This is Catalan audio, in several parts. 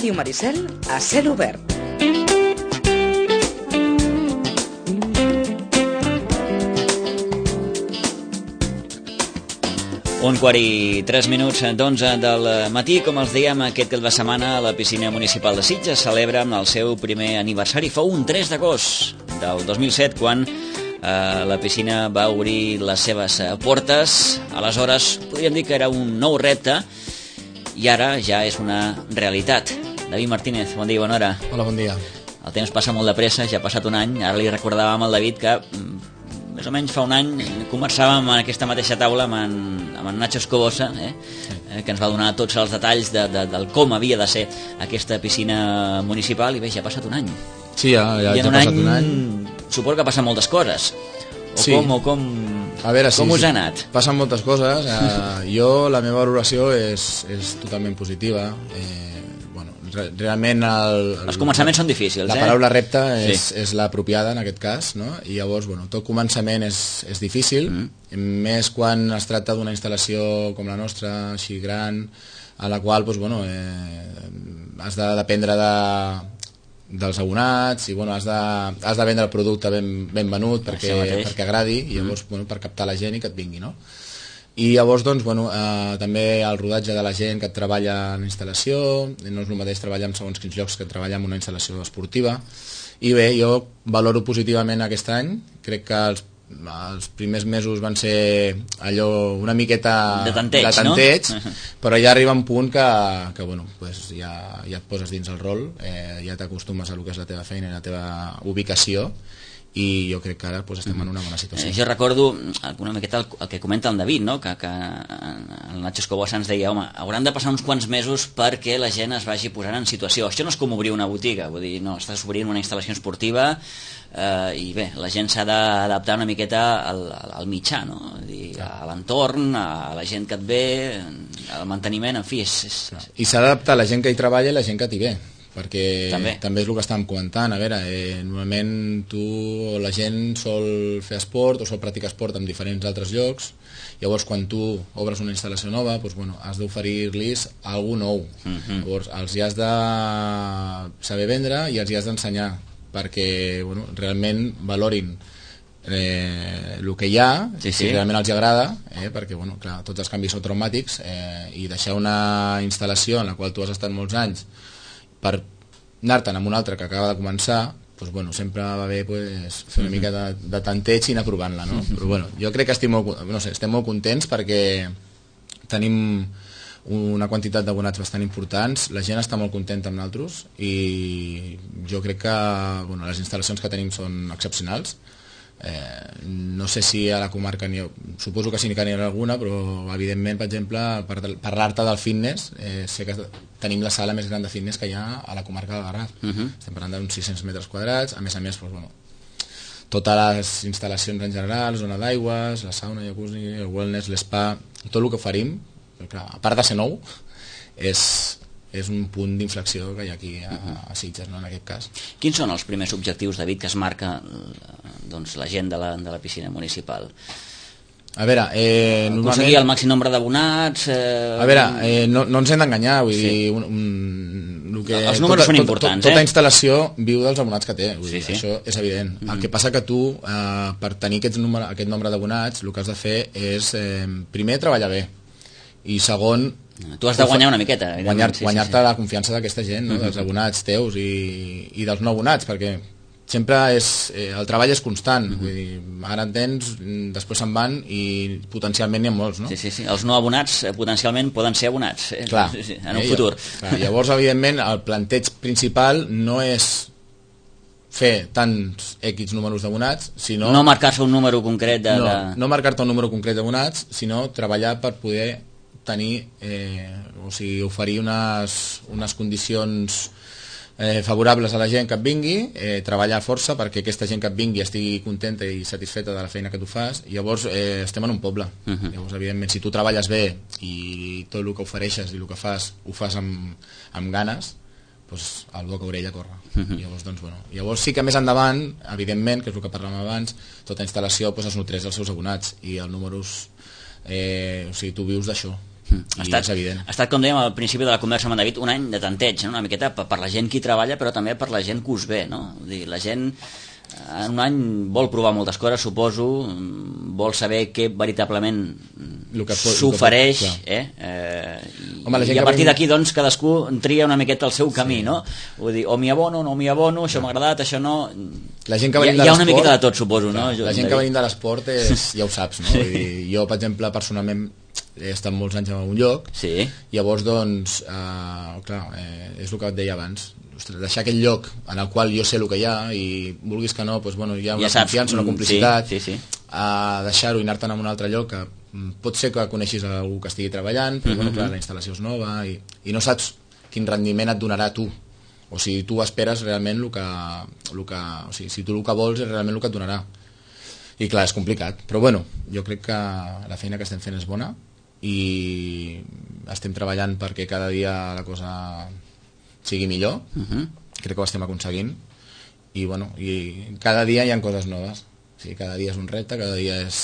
Ràdio Maricel a cel obert. Un quart i 3 minuts d'11 del matí. Com els dèiem, aquest cap de setmana la piscina municipal de Sitges celebra el seu primer aniversari. Fou un 3 d'agost del 2007 quan la piscina va obrir les seves portes. Aleshores podríem dir que era un nou repte i ara ja és una realitat. David Martínez, bon dia i bona hora. Hola, bon dia. El temps passa molt de pressa, ja ha passat un any. Ara li recordàvem al David que més o menys fa un any conversàvem en aquesta mateixa taula amb en Nacho Escobosa, que ens va donar tots els detalls del com havia de ser aquesta piscina municipal, i bé, ja ha passat un any. Sí, ja ha passat un any. Suposo que passen moltes coses. Sí. A veure, com us ha anat? Passen moltes coses. Jo, la meva valoració és totalment positiva. Realment els començaments són difícils. La paraula repte és l'apropiada en aquest cas, no? I llavors, tot començament és difícil, més quan es tracta d'una instal·lació com la nostra, així gran, a la qual has de dependre dels abonats i has de vendre el producte ben venut perquè agradi, i llavors per captar la gent i que et vingui, no? I llavors, també el rodatge de la gent que treballa en la instal·lació, no és el mateix treballar en segons quins llocs que treballar en una instal·lació esportiva. I bé, jo valoro positivament aquest any. Crec que els primers mesos van ser allò una miqueta de tanteig, no? Però ja arriba un punt que ja et poses dins el rol, ja t'acostumes a lo que és la teva feina i la teva ubicació, i jo crec que ara estem en una bona situació. Jo recordo una miqueta el que comenta el David, no? Que el Nacho Escobosa ens deia, home, hauran de passar uns quants mesos perquè la gent es vagi posant en situació. Això no és com obrir una botiga, vull dir, no, estàs obrint una instal·lació esportiva i bé, la gent s'ha d'adaptar una miqueta al mitjà, no? A l'entorn, a la gent que et ve, al manteniment, en fi. I s'ha d'adaptar la gent que hi treballa i la gent que t'hi ve, perquè també és el que estàvem comentant. A veure, normalment la gent sol fer esport o sol practicar esport en diferents altres llocs. Llavors, quan tu obres una instal·lació nova, has d'oferir-los alguna nou. Llavors, els hi has de saber vendre i els hi has d'ensenyar perquè realment valorin el que hi ha, si realment els agrada, perquè clar, tots els canvis són traumàtics, i deixar una instal·lació en la qual tu has estat molts anys per anar-te'n amb una altra que acaba de començar, sempre va bé fer una mica de tanteig i anar provant-la, no? Però jo crec que estem molt contents perquè tenim una quantitat d'abonats bastant importants, la gent està molt contenta amb nosaltres i jo crec que les instal·lacions que tenim són excepcionals. No sé si a la comarca suposo que sí que n'hi ha alguna, però evidentment, per exemple, parlar-te del fitness, sé que tenim la sala més gran de fitness que hi ha a la comarca del Garraf. Estem parlant d'uns 600 metres quadrats, a més totes les instal·lacions en general, zona d'aigües, la sauna, el jacuzzi, el wellness, l'espa, tot el que oferim, a part de ser nou, és un punt d'inflexió que hi ha aquí a Sitges, no, en aquest cas. Quins són els primers objectius, David, que es marca la gent de la piscina municipal? A veure, aconseguir el màxim nombre d'abonats... A veure, no ens hem d'enganyar, vull dir... Els números són importants, Tota instal·lació viu dels abonats que té, això és evident. El que passa que tu, per tenir aquest nombre d'abonats, el que has de fer és, primer, treballar bé, i segon... Tu has de guanyar una miqueta. Guanyar-te la confiança d'aquesta gent, dels abonats teus i dels no abonats, perquè sempre el treball és constant. Vull dir, ara en tens, després se'n van i potencialment n'hi ha molts, no? Sí. Els no abonats potencialment poden ser abonats en un futur. Llavors, evidentment, el planteig principal no és fer tants X números d'abonats, sinó... No marcar-se un número concret No marcar-te un número concret d'abonats, sinó treballar per poder tenir, oferir unes condicions favorables a la gent que et vingui, treballar a força perquè aquesta gent que et vingui estigui contenta i satisfeta de la feina que tu fas. I llavors estem en un poble. Llavors, evidentment, si tu treballes bé i tot el que ofereixes i el que fas ho fas amb ganes, el boca orella corre. Llavors sí que més endavant, evidentment, que és el que parlàvem abans, tota instal·lació es nutreix dels seus abonats i els números, tu vius d'això. és evident. Ha estat, com dèiem al principi de la conversa amb en David, un any de tanteig, no? Una miqueta per la gent que hi treballa, però també per la gent que us ve, no? Vull dir, la gent en un any vol provar moltes coses, suposo, vol saber què veritablement s'ofereix, i a partir d'aquí doncs cadascú tria una miqueta el seu camí, no? Vull dir, o m'hi abono, no m'hi abono, això m'ha agradat, això no... Hi ha una miqueta de tot, suposo, no? La gent que venim de l'esport ja ho saps, no? Vull dir, jo, per exemple, personalment he estat molts anys en un lloc, llavors doncs és el que et deia abans, deixar aquell lloc en el qual jo sé el que hi ha i vulguis que no, doncs, bueno, hi ha una confiança, una complicitat, deixar-ho i anar-te'n a un altre lloc que pot ser que coneixis algú que estigui treballant, però bueno, clar, la instal·lació és nova i no saps quin rendiment et donarà tu, o si tu esperes realment o sigui, si tu el que vols és realment el que et donarà, i clar, és complicat, però bueno, jo crec que la feina que estem fent és bona i estem treballant perquè cada dia la cosa sigui millor, crec que ho estem aconseguint i bueno, i cada dia hi ha coses noves, o sigui, cada dia és un repte, cada dia és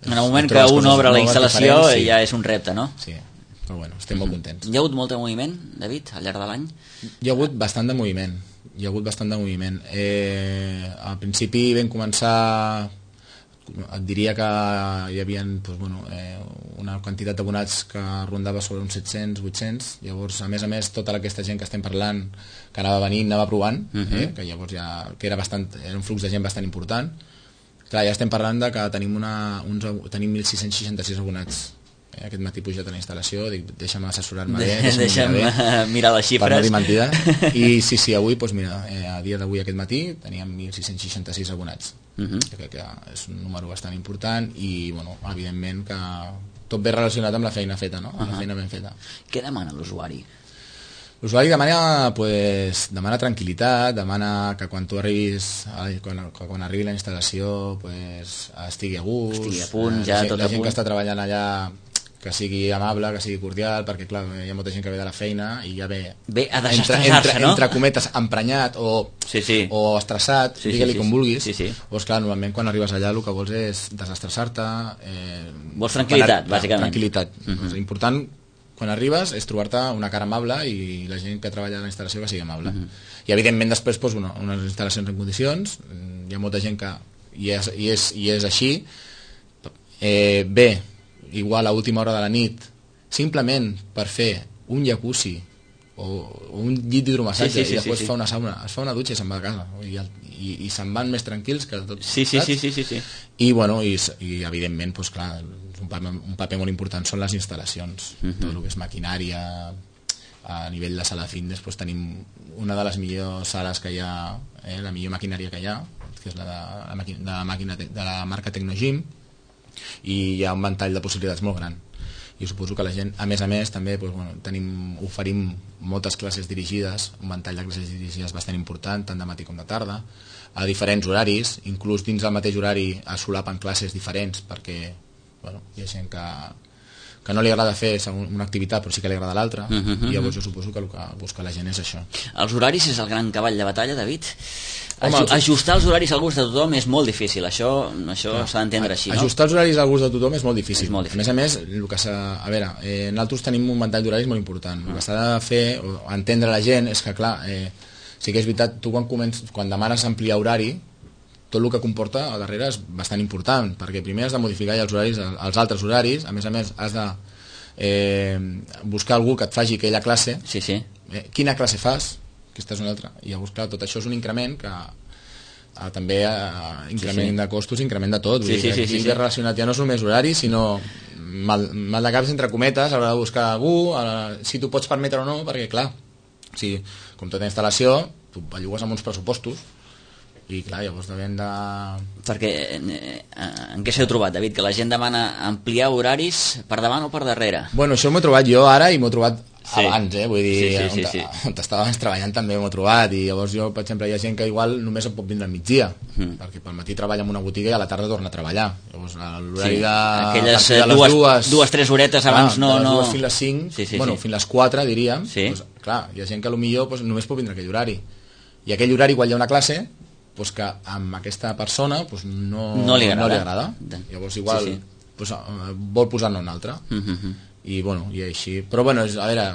en el moment que un obre la instal·lació ja és un repte, no? Sí, però bueno, estem molt contents. Hi ha hagut molt de moviment, David, al llarg de l'any? Hi ha hagut bastant de moviment, al principi vam començar, et diria que hi havia una quantitat d'abonats que rondava sobre uns 700, 800, llavors a més tota aquesta gent que estem parlant que anava venint, anava provant, que llavors que era un flux de gent bastant important. Clar, ja estem parlant de que tenim 1.666 abonats. Aquest matí pujat a la instal·lació, dic, deixa'm assessorar-me bé, deixa'm mirar les xifres. Per no dir mentida. I sí, avui, doncs mira, a dia d'avui aquest matí teníem 1.666 abonats. Crec que és un número bastant important i, bueno, evidentment que tot ve relacionat amb la feina feta, no? Amb la feina ben feta. Què demana l'usuari? L'usuari demana tranquil·litat, demana que quan tu arribis, quan arribi la instal·lació, estigui a gust, estigui a punt, ja tot a punt. La gent que està treballant allà que sigui amable, que sigui cordial, perquè clar, hi ha molta gent que ve de la feina i ja ve a desestresar-se, no? Entre cometes, emprenyat o estressat, digue-li com vulguis. Doncs clar, normalment quan arribes allà el que vols és desestressar-te. Vols tranquil·litat, bàsicament. Tranquil·litat. Important quan arribes és trobar-te una cara amable i la gent que treballa a la instal·lació que sigui amable. I evidentment després unes instal·lacions en condicions, hi ha molta gent que i és així, ve igual a última hora de la nit simplement per fer un jacuzzi o un llit d'hidromassatge i després fa una sauna, es fa una dutxa i se'n va a casa i se'n van més tranquils que tot. Sí. I bueno, i evidentment doncs clar, un paper molt important són les instal·lacions, tot el que és maquinària. A nivell de sala fitness doncs tenim una de les millors sales que hi ha, la millor maquinària que hi ha, que és de la marca Tecnogym, i hi ha un ventall de possibilitats molt gran i suposo que la gent, a més també oferim moltes classes dirigides, un ventall de classes dirigides bastant important, tant de matí com de tarda, a diferents horaris, inclús dins del mateix horari es solapen classes diferents perquè hi ha gent que no li agrada fer una activitat però sí que li agrada l'altra, i llavors jo suposo que el que busca la gent és això. Els horaris és el gran cavall de batalla, David? Ajustar els horaris al gust de tothom és molt difícil, això s'ha d'entendre així, no? Ajustar els horaris al gust de tothom és molt difícil. A més, nosaltres tenim un ventall d'horaris molt important. El que s'ha de fer, o entendre la gent, és que clar, sí que és veritat, tu quan demanes ampliar horari, tot el que comporta a darrere és bastant important, perquè primer has de modificar els horaris, els altres horaris, a més has de buscar algú que et faci aquella classe. Quina classe fas? Aquesta és una altra. I llavors, clar, tot això és un increment que també increment de costos, increment de tot. Aquí ve relacionat, ja no és només horari, sinó mal de caps entre cometes a l'hora de buscar algú, si tu pots permetre o no, perquè clar, com tota instal·lació, tu bellugues amb uns pressupostos i clar, llavors devem de... Perquè en què s'heu trobat, David? Que la gent demana ampliar horaris per davant o per darrere? Bueno, això m'ho he trobat jo ara i m'ho he trobat abans, vull dir, on estava abans treballant també m'ho he trobat, i llavors jo, per exemple, hi ha gent que igual només pot vindre al migdia, perquè pel matí treballa en una botiga i a la tarda torna a treballar, llavors l'horari aquelles dues, tres horetes abans no... De les dues fins les 5, bueno, fins les 4 diríem, doncs, clar, hi ha gent que potser només pot vindre aquell horari, i aquell horari quan hi ha una classe, doncs que amb aquesta persona no li agrada, llavors igual vol posar-ne una altra. i així. Però bueno, a veure,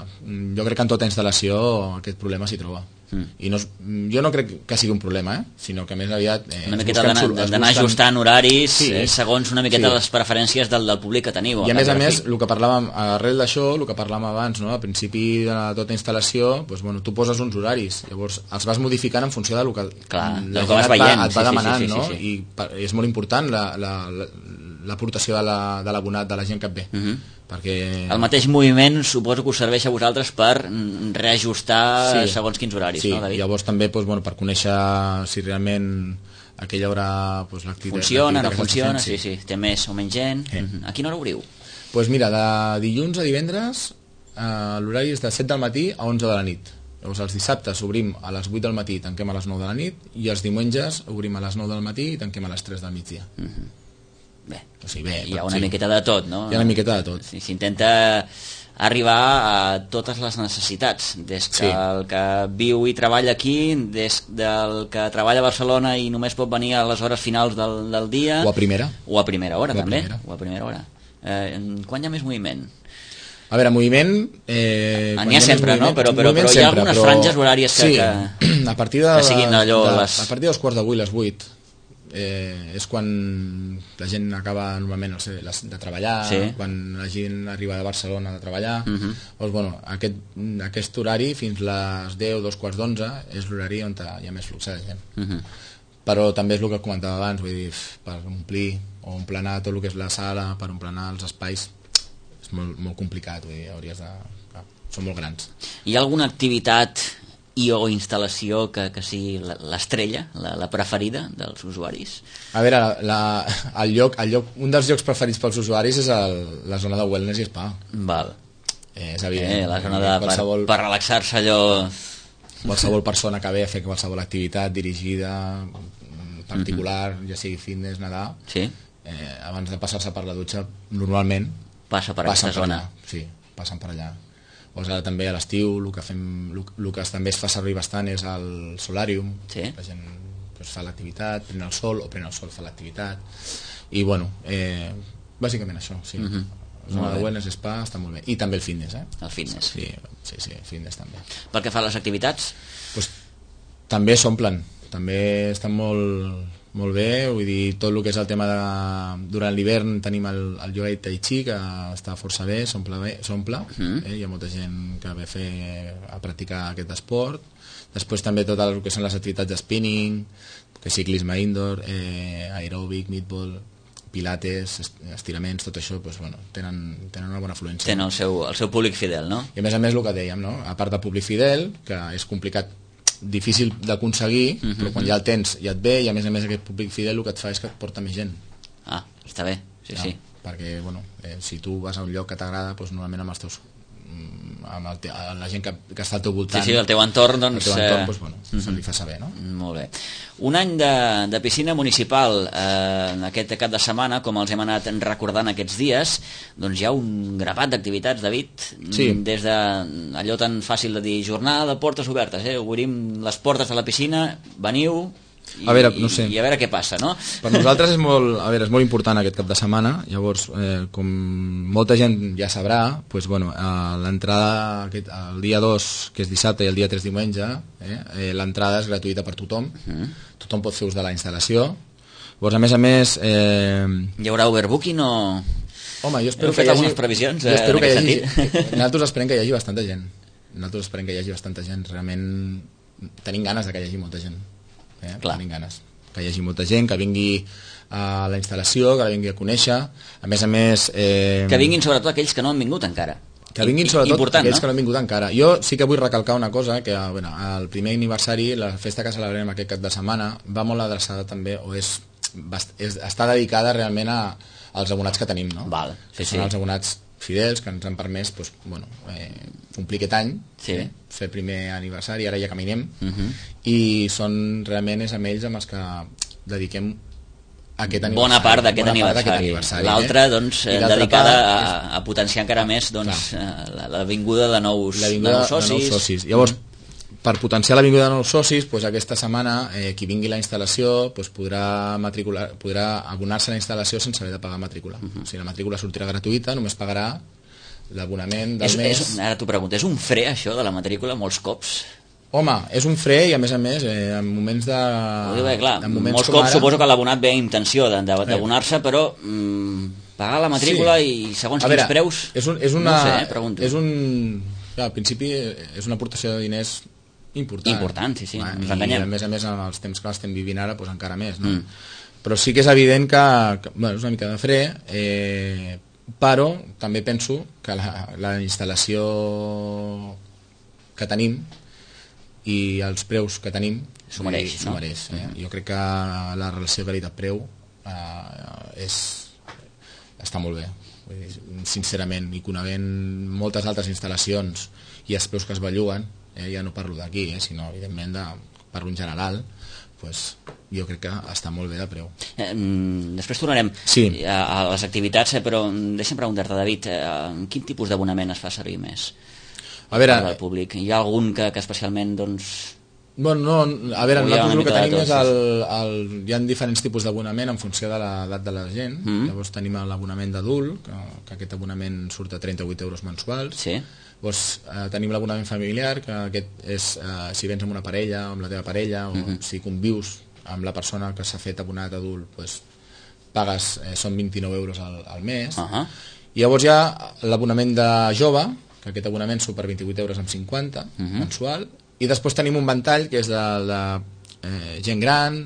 jo crec que en tota instal·lació aquest problema s'hi troba. I jo no crec que sigui un problema, sinó que més aviat una miqueta d'anar ajustant horaris segons una miqueta les preferències del públic que teniu. I a més, el que parlàvem arrel d'això, el que parlàvem abans, no? Al principi de tota instal·lació, doncs, tu poses uns horaris, llavors els vas modificant en funció del que la gent et va demanant, no? I és molt important l'aportació de l'abonat, de la gent que et ve. Perquè... El mateix moviment suposo que us serveix a vosaltres per reajustar segons quins horaris, no, David? Llavors també per conèixer si realment aquella hora l'activitat... Funciona, no funciona, sí, té més o menys gent. A quina hora obriu? Doncs mira, de dilluns a divendres l'horari és de 7 del matí a 11 de la nit. Llavors els dissabtes obrim a les 8 del matí i tanquem a les 9 de la nit, i els diumenges obrim a les 9 del matí i tanquem a les 3 del migdia. Bé, hi ha una miqueta de tot, no? Hi ha una miqueta de tot. S'intenta arribar a totes les necessitats, des que el que viu i treballa aquí, des del que treballa a Barcelona i només pot venir a les hores finals del dia, o a primera hora també, o a primera hora. Quan hi ha més moviment? A veure, moviment... N'hi ha sempre, no? Però hi ha algunes franges horàries que a partir de siguin allò... A partir dels 7:15, les 8, és quan la gent acaba normalment de treballar, quan la gent arriba de Barcelona de treballar, doncs, aquest horari fins les 10, 2:15 és l'horari on hi ha més flux de gent. Però també és el que comentava abans, vull dir, per omplir o emplenar tot el que és la sala, per emplenar els espais, és molt complicat, vull dir, són molt grans. Hi ha alguna activitat o instal·lació que sigui l'estrella, la preferida dels usuaris? A veure, un dels llocs preferits pels usuaris és la zona de wellness i spa. Val. És evident. La zona per relaxar-se allò... Qualsevol persona que ve a fer qualsevol activitat dirigida, particular, ja sigui fitness, nedar, abans de passar-se per la dutxa, normalment passa per aquesta zona. Sí, passen per allà. Ara també a l'estiu el que també es fa servir bastant és el solàrium. La gent fa l'activitat, pren el sol fa l'activitat, i bàsicament això, sí. La zona de wellness spa està molt bé, i també el fitness. El fitness. Sí, el fitness també. Pel que fa a les activitats? També s'omplen, també estan molt bé, vull dir, tot el que és el tema de... Durant l'hivern tenim el yoga i tai chi, que està força bé, s'omple, hi ha molta gent que ve a practicar aquest esport. Després també tot el que són les activitats de spinning, que ciclisme indoor, aeròbic, meatball, pilates, estiraments, tot això, tenen una bona afluència. Tenen el seu públic fidel, no? I a més el que dèiem, no? A part de públic fidel, que és complicat, difícil d'aconseguir, però quan ja el tens ja et ve, i a més aquest públic fidel el que et fa és que et porta més gent. Està bé, sí. Perquè, si tu vas a un lloc que t'agrada, normalment amb els teus amb la gent que està al teu voltant, el teu entorn, se li fa saber, no? Molt bé. Un any de piscina municipal, aquest cap de setmana, com els hem anat recordant aquests dies, doncs hi ha un grapat d'activitats, David, des d'allò tan fàcil de dir jornada de portes obertes, obrim les portes de la piscina, veniu i a veure què passa, no? Per nosaltres és molt important aquest cap de setmana. Llavors, com molta gent ja sabrà, l'entrada el dia 2, que és dissabte, i el dia 3 diumenge, l'entrada és gratuïta per tothom. Tothom pot fer ús de la instal·lació. Llavors, a més... Hi haurà overbooking o...? Home, jo espero que hi hagi... algunes previsions en aquest sentit? Nosaltres esperem que hi hagi bastanta gent. Realment tenim ganes que hi hagi molta gent. Tenim ganes que hi hagi molta gent, que vingui a la instal·lació, que la vingui a conèixer, a més que vinguin sobretot aquells que no han vingut encara, aquells que no han vingut encara. Jo sí que vull recalcar una cosa, que el primer aniversari, la festa que celebrem aquest cap de setmana, va molt adreçada també, o està dedicada realment als abonats que tenim, no? Són els abonats fidels que ens han permès complir aquest any, fer el primer aniversari, ara ja caminem, i realment és amb ells amb els que dediquem aquest aniversari. Bona part d'aquest aniversari. L'altra, dedicada a potenciar encara més la vinguda de nous socis. Llavors, per potenciar la vinguda de nous socis, aquesta setmana qui vingui a la instal·lació podrà abonar-se a la instal·lació sense haver de pagar matrícula. O sigui, la matrícula sortirà gratuïta, només pagarà l'abonament del mes... Ara t'ho pregunto, és un fre això de la matrícula molts cops? Home, és un fre i a més, en moments de... Clar, molts cops suposo que l'abonat ve amb intenció d'abonar-se, però pagar la matrícula i segons quins preus... No sé, pregunto. Al principi és una aportació de diners important, sí, ens enganyem. I a més amb els temps que l'estem vivint ara, doncs encara més, no? Però sí que és evident que és una mica de fre, però també penso que la instal·lació que tenim i els preus que tenim s'ho mereix, no? Jo crec que la relació qualitat-preu està molt bé. Vull dir, sincerament, i coneixent moltes altres instal·lacions i els preus que es belluguen, ja no parlo d'aquí, sinó evidentment parlo en general, doncs jo crec que està molt bé de preu. Després tornarem a les activitats, però deixa'm preguntar-te, David, quin tipus d'abonament es fa servir més? A veure, del públic. Hi ha algun que especialment, doncs... Bueno, no, a veure, nosaltres el que tenim és hi ha diferents tipus d'abonament en funció de l'edat de la gent. Llavors tenim l'abonament d'adult, que aquest abonament surt a 38 euros mensuals. Llavors tenim l'abonament familiar, que aquest és si vens amb una parella o amb la teva parella, o si convius amb la persona que s'ha fet abonat adult, doncs pagues, són 29 euros al mes. I llavors hi ha l'abonament de jove, que aquest abonament surt per 28 euros amb 50 mensual, i després tenim un ventall que és de gent gran,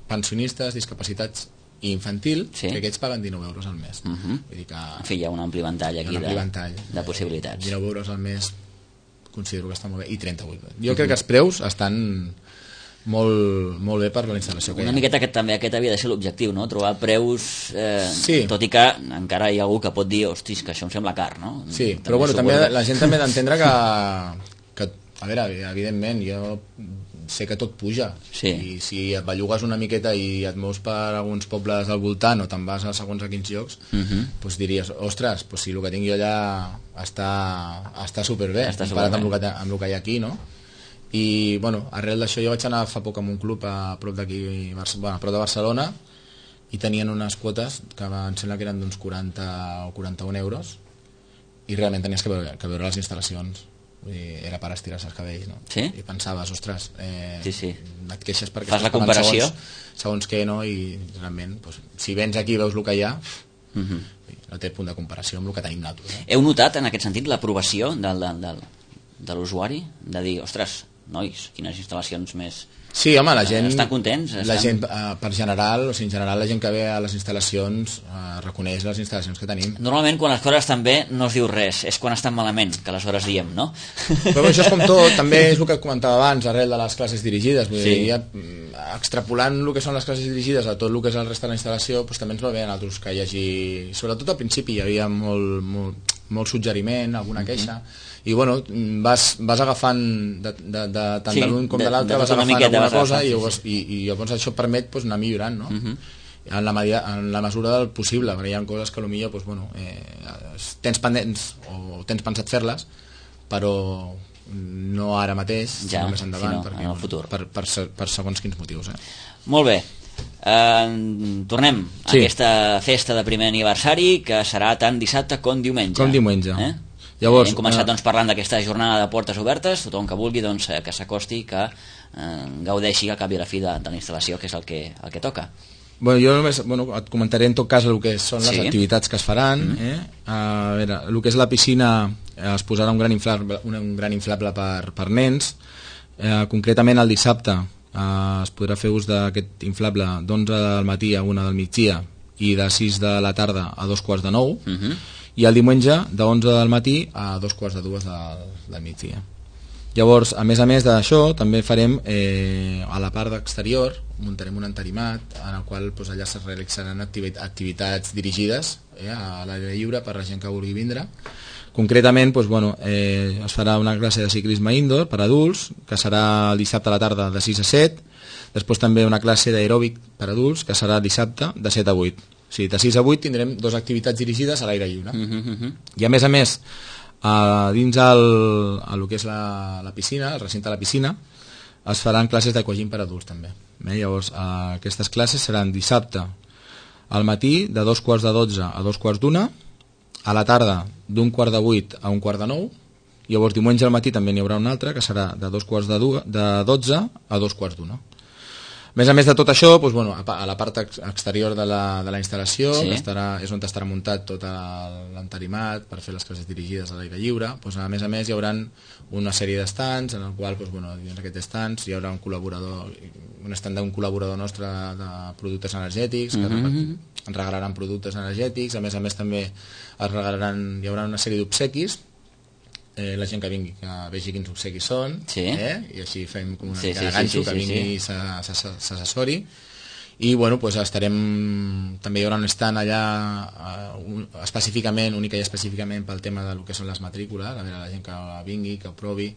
pensionistes, discapacitats i infantil, que aquests paguen 19 euros al mes. Vull dir que... En fi, hi ha un ampli ventall aquí de possibilitats. 19 euros al mes considero que està molt bé, i 38. Jo crec que els preus estan molt bé per la instal·lació que hi ha. Una miqueta aquest havia de ser l'objectiu, no? Trobar preus, tot i que encara hi ha algú que pot dir, hostis, que això em sembla car, no? Sí, però bueno, també la gent també ha d'entendre que, a veure, evidentment, jo sé que tot puja, i si et bellugues una miqueta i et mous per alguns pobles al voltant o te'n vas a segons a quins llocs, doncs diries, ostres, si el que tinc jo allà està superbé, comparat amb el que hi ha aquí, no? I, bueno, arrel d'això jo vaig anar fa poc a un club a prop d'aquí, a prop de Barcelona, i tenien unes quotes que em sembla que eren d'uns 40 o 41 euros, i realment tenies que veure les instal·lacions. Vull dir, era per estirar-se els cabells, no? I pensaves, ostres, et queixes perquè fas la comparació segons què, no? I realment, si vens aquí i veus el que hi ha, no té punt de comparació amb el que tenim nosaltres. Heu notat en aquest sentit l'aprovació de l'usuari? De dir, ostres, nois, quines instal·lacions més... Sí, home, la gent... Estan contents? La gent, per general, en general, la gent que ve a les instal·lacions reconeix les instal·lacions que tenim. Normalment, quan les coses estan bé, no es diu res. És quan estan malament, que aleshores diem, no? Però això és com tot. També és el que comentava abans, arrel de les classes dirigides. Vull dir, extrapolant el que són les classes dirigides a tot el que és el rest de la instal·lació, també ens va bé a nosaltres que hi hagi... Sobretot al principi hi havia molt suggeriment, alguna queixa, i bueno, vas agafant tant de l'un com de l'altre, vas agafant alguna cosa i llavors això et permet anar millorant, no? En la mesura del possible, perquè hi ha coses que potser tens pendents o tens pensat fer-les, però no ara mateix, sinó més endavant, en el futur, per segons quins motius. Molt bé. Tornem a aquesta festa de primer aniversari, que serà tant dissabte com diumenge. Llavors, hem començat parlant d'aquesta jornada de portes obertes, tothom que vulgui que s'acosti, que gaudeixi al cap i a la fi de la instal·lació, que és el que toca. Jo només et comentaré en tot cas el que són les activitats que es faran. A veure, el que és la piscina es posarà un gran inflable per nens. Concretament el dissabte es podrà fer ús d'aquest inflable d'11 del matí a 1 del migdia i de 6 de la tarda a 2:45, i el diumenge de 11 del matí a 2:45 del migdia. Llavors, a més d'això, també farem a la part d'exterior, muntarem un entarimat en el qual allà es realitzaran activitats dirigides a l'aire lliure per la gent que vulgui vindre. Concretament, es farà una classe de ciclisme indoor per adults, que serà el dissabte a la tarda de 6 a 7, després també una classe d'aeròbic per adults, que serà dissabte de 7 a 8. O sigui, de 6 a 8 tindrem 2 activitats dirigides a l'aire lliure. I a més, dins el que és la piscina, el recinte de la piscina, es faran classes d'aquagym per adults també. Llavors, aquestes classes seran dissabte al matí de 2:15 a 2:45, a la tarda d'un 7:15 a 7:45, llavors diumenge al matí també n'hi haurà un altre que serà de 12 a 2:15. A més de tot això, doncs, bueno, a la part exterior de la instal·lació, sí, que és on estarà muntat tot l'entarimat per fer les classes dirigides a l'aire lliure, doncs, a més hi haurà una sèrie d'estands en el qual, doncs, bueno, dins d'aquests estands hi haurà un estand d'un col·laborador nostre de productes energètics que ens regalaran productes energètics. A més també hi haurà una sèrie d'obsequis, la gent que vingui que vegi quins obsequis són, i així fem com una mica de ganxo, que vingui i s'assessori. I bueno, doncs també hi haurà un stand allà específicament, única i específicament pel tema del que són les matrícules, a veure la gent que vingui, que ho provi.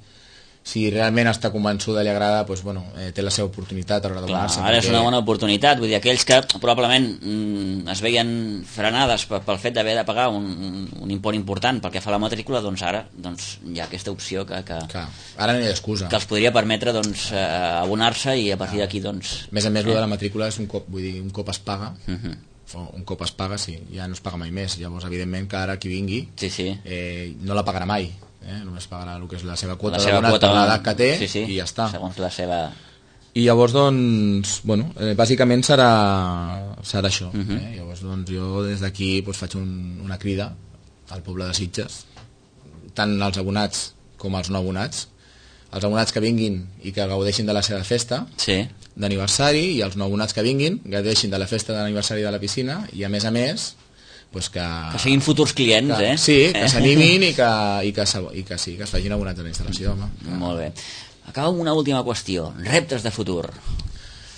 Si realment està convençuda i li agrada, doncs, bueno, té la seva oportunitat a l'hora de donar-se. Ara és una bona oportunitat, vull dir, aquells que probablement es veien frenades pel fet d'haver de pagar un import important pel que fa a la matrícula, doncs ara hi ha aquesta opció que ara no hi ha excusa, que els podria permetre abonar-se i a partir d'aquí doncs... A més, el de la matrícula és un cop es paga, un cop es paga, sí, ja no es paga mai més. Llavors, evidentment, que ara qui vingui no la pagarà mai, només pagarà el que és la seva quota d'abonat per l'edat que té, i ja està. Segons la seva... I llavors, doncs, bueno, bàsicament serà això. Llavors, doncs, jo des d'aquí faig una crida al poble de Sitges, tant als abonats com als no abonats. Els abonats que vinguin i que gaudeixin de la seva festa d'aniversari, i els no abonats que vinguin gaudeixin de la festa d'aniversari de la piscina, i a més que siguin futurs clients, sí, que s'animin i que es facin abonats a la instal·lació, home. Molt bé. Acaba amb una última qüestió, reptes de futur.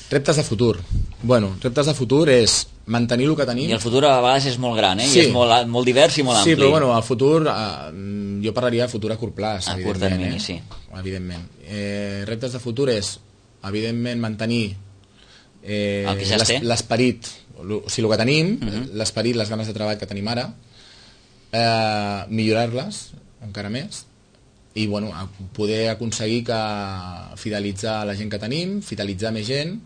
Reptes de futur. Bueno, reptes de futur és mantenir el que tenim. I el futur a vegades és molt gran, i és molt divers i molt ampli. Sí, però bueno, el futur, jo parlaria de futur a curt plaç, a curt termini, sí. Evidentment. Reptes de futur és, evidentment, mantenir l'esperit, o sigui, el que tenim, l'esperit, les ganes de treball que tenim ara, millorar-les encara més, i bueno, poder aconseguir fidelitzar la gent que tenim, fidelitzar més gent,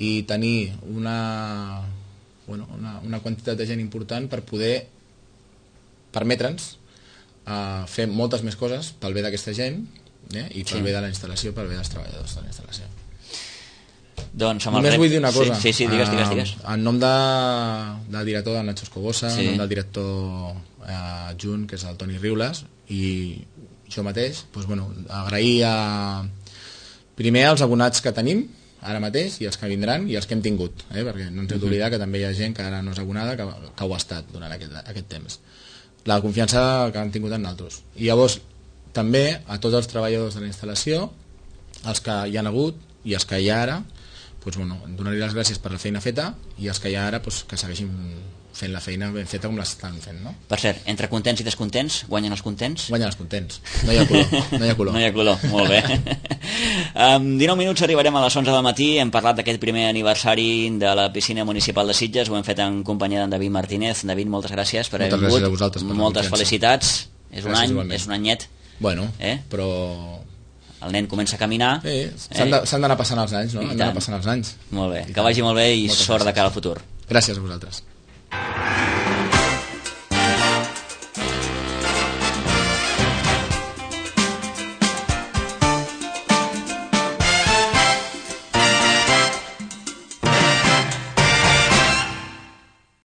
i tenir una quantitat de gent important per poder permetre'ns fer moltes més coses pel bé d'aquesta gent, i pel bé de la instal·lació, pel bé dels treballadors de la instal·lació. Només vull dir una cosa. Sí, digues. En nom del director, del Nacho Escobosa, en nom del director adjunt, que és el Toni Riules, i jo mateix, agrair primer als abonats que tenim ara mateix, i els que vindran, i els que hem tingut, perquè no ens hem d'oblidar que també hi ha gent que ara no és abonada, que ho ha estat durant aquest temps. La confiança que han tingut en nosaltres. I llavors, també a tots els treballadors de la instal·lació, els que hi han hagut i els que hi ha ara, donar-li les gràcies per la feina feta, i els que hi ha ara que segueixin fent la feina ben feta com l'estan fent, no? Per cert, entre contents i descontents, guanyen els contents? Guanyen els contents, no hi ha color. No hi ha color, molt bé. 19 minuts arribarem a les 11 del matí, hem parlat d'aquest primer aniversari de la piscina municipal de Sitges, ho hem fet en companyia d'en David Martínez. David, moltes gràcies per haver vingut. Moltes gràcies a vosaltres per la confiança. Moltes felicitats, és un anyet. Bueno, però... El nen comença a caminar. S'han d'anar passant els anys, no? Han d'anar passant els anys. Molt bé, que vagi molt bé i sort de cara al futur. Gràcies a vosaltres.